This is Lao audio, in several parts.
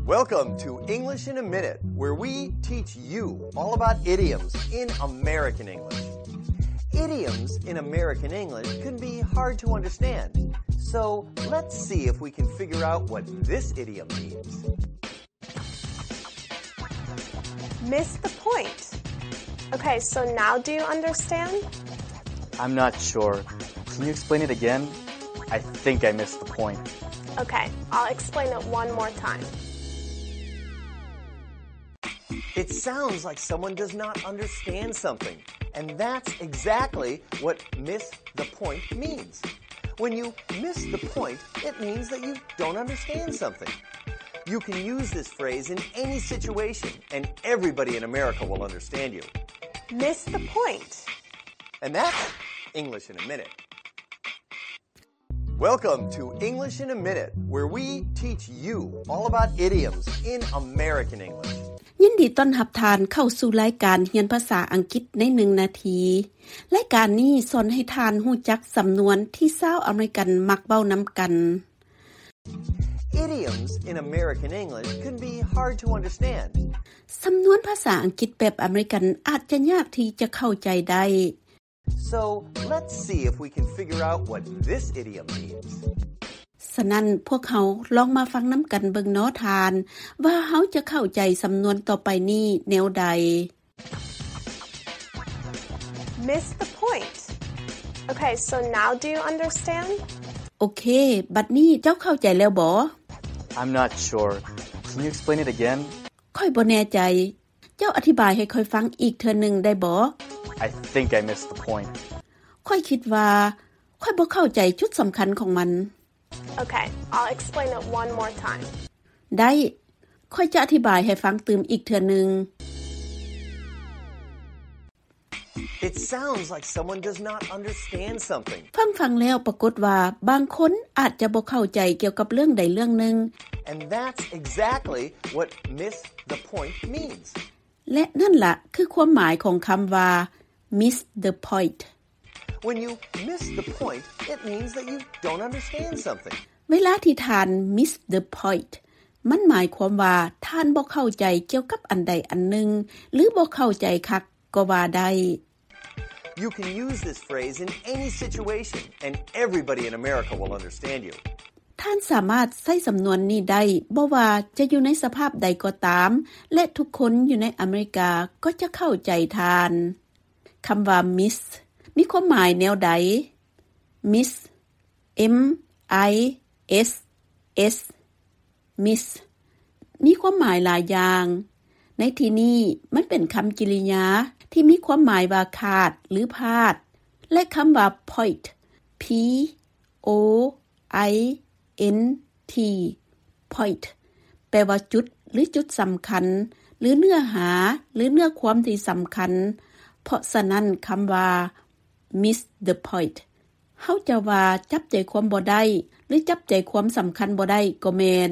Welcome to English in a Minute, where we teach you all about idioms in American English. Idioms in American English can be hard to understand, so let's see if we can figure out what this idiom means. Miss the point. Okay, so now do you understand? I'm not sure. Can you explain it again? I think I missed the point. Okay, I'll explain it one more time. It sounds like someone does not understand something, and that's exactly what miss the point means. When you miss the point, it means that you don't understand something. You can use this phrase in any situation, and everybody in America will understand you. Miss the point. And that's English in a minute. Welcome to English in a Minute, where we teach you all about idioms in American English. ຍິນດີຕ້ອນຮັບທ່ານເຂົ້າສູ່ລາຍການຮຽນພາສາອັງກິດໃນໜຶ່ງນາທີ. ລາຍການນີ້ສອນໃຫ້ທ່ານຮູ້ຈັກສຳນວນທີ່ຊາວອາເມລິກັນມັກເວົ້ານຳກັນ. Idioms in American English can be hard to understand. ສຳນວນພາສາອັງກິດແບບອາເມລິກັນອາດຈະຍາກທີ່ຈະເຂົ້າໃຈໄດ້. So, let's see if we can figure out what this idiom means. ສະນັ້ນ, ພວກເຮົາລອງມາຟັງນຳກັນເບິ່ງເນາະທ່ານ, ວ່າເຮົາຈະເຂົ້າໃຈສຳນວນຕໍ່ໄປນີ້ແນວໃດ? Miss the point. Okay, so now do you understand? ໂອເຄ, ບັດນີ້ເຈົ້າເຂົ້າໃຈແລ້ວບໍ? I'm not sure. Can you explain it again? ຂ້ອຍບໍ່ແນ່ໃຈ. ເຈົ້າອະທິບາຍໃຫ້ຂ້ອຍຟັງອີກເທື່ອໜຶ່ງໄດ້ບໍ່? I think I missed the point. ຂ້ອຍຄິດວ່າຂ້ອຍບໍ່ເຂົ້າໃຈຈຸດສຳຄັນຂອງມັນ. Okay, I'll explain it one more time. ໄດ້, ຂ້ອຍຈະອະທິບາຍໃຫ້ຟັງຕື່ມອີກເທື່ອໜຶ່ງ. It sounds like someone does not understand something. ຟັງໆແລ້ວປາກົດວ່າບາງຄົນອາດຈະບໍ່ເຂົ້າໃຈກ່ຽວກັບເລື່ອງໃດເລື່ອງໜຶ່ງ. And that's exactly what miss the point means. ແລະນັ້ນລະຄືຄວາມໝາຍຂອງຄຳວ່າ miss the point. When you miss the point, it means that you don't understand something. ເວລາທີ່ທ່ານ miss the point, ມັນໝາຍຄວາມວ່າທ່ານບໍ່ເຂົ້າໃຈກ່ຽວກັບອັນໃດອັນໜຶ່ງ ຫຼື ບໍ່ເຂົ້າໃຈຄັກກໍວ່າໄດ້. You can use this phrase in any situation, and everybody in America will understand you. ທ່ານສາມາດໃຊ້ສຳນວນນີ້ໄດ້ ບໍ່ວ່າຈະຢູ່ໃນສະພາບໃດກໍຕາມ ແລະ ທຸກຄົນຢູ່ໃນອາເມລິກາກໍຈະເຂົ້າໃຈທ່ານ. ຄຳວ່າ miss ມີຄວາມໝາຍແນວໃດ? Miss, M I S S, miss ມີຄວາມໝາຍຫຼາຍຢ່າງ. ໃນທີ່ນີ້ມັນເປັນຄຳກິລິຍາທີ່ມີຄວາມໝາຍວ່າຂາດ ຫຼື ພາດ ແລະ ຄຳວ່າ point, P O I N T, point ແປວ່າຈຸດ ຫຼື ຈຸດສຳຄັນ ຫຼື ເນື້ອຫາ ຫຼື ເນື້ອຄວາມທີ່ສຳຄັນ. ເພາະສະນັ້ນ ຄຳວ່າ miss the point ເຮົາຈະວ່າຈັບໃຈຄວາມບໍ່ໄດ້ ຫຼື ຈັບໃຈຄວາມສຳຄັນບໍ່ໄດ້ກໍແມ່ນ.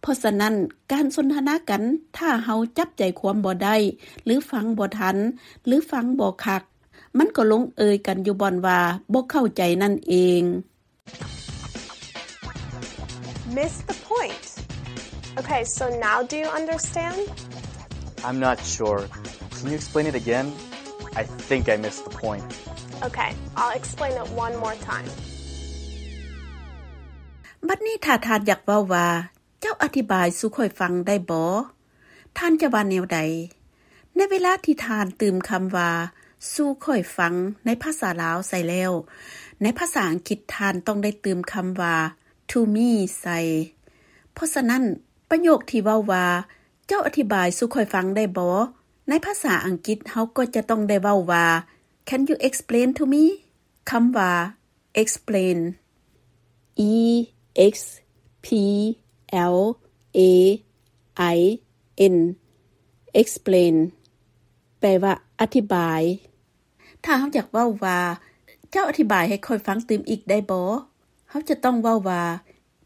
ເພາະສະນັ້ນ ການສົນທະນາກັນ ຖ້າເຮົາຈັບໃຈຄວາມບໍ່ໄດ້ ຫຼື ຟັງບໍ່ທັນ ຫຼື ຟັງບໍ່ຄັກ, ມັນກໍລົງເອີຍກັນຢູ່ບ່ອນວ່າບໍ່ເຂົ້າໃຈນັ້ນເອງ. Miss the point. Okay, so now do you understand? I'm not sure. Can you explain it again? I think I missed the point. Okay, I'll explain it one more time. ບັດນີ້ຖ້າທ່ານຢາກເວົ້າວ່າ ເຈົ້າອະທິບາຍສູ່ຂ້ອຍຟັງໄດ້ບໍ່? ທ່ານຈະວ່າແນວໃດ? ໃນເວລາທີ່ທ່ານຕື່ມຄຳວ່າສູ່ຂ້ອຍຟັງໃນພາສາລາວໃສ່ແລ້ວ, ໃນພາສາອັງກິດທ່ານຕ້ອງໄດ້ຕື່ມຄຳວ່າ to me ໃສ່. ເພາະສະນັ້ນ, ປະໂຫຍກທີ່ເວົ້າວ່າ ເຈົ້າອະທິບາຍສູ່ຂ້ອຍຟັງໄດ້ບໍ່? ໃນພາສາອັງກິດເຮົາກໍຈະຕ້ອງໄດ້ເວົ້າວ່າ Can you explain to me? ຄຳວ່າ explain, E X P L A I N, explain ແປວ່າອະທິບາຍ. ຖ້າເຮົາຢາກເວົ້າວ່າ ເຈົ້າອະທິບາຍໃຫ້ຂ້ອຍຟັງຕື່ມອີກໄດ້ບໍ່? ເຮົາຈະຕ້ອງເວົ້າວ່າ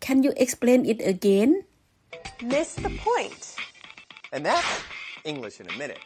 Can you explain it again? Miss the point. And that's English in a minute.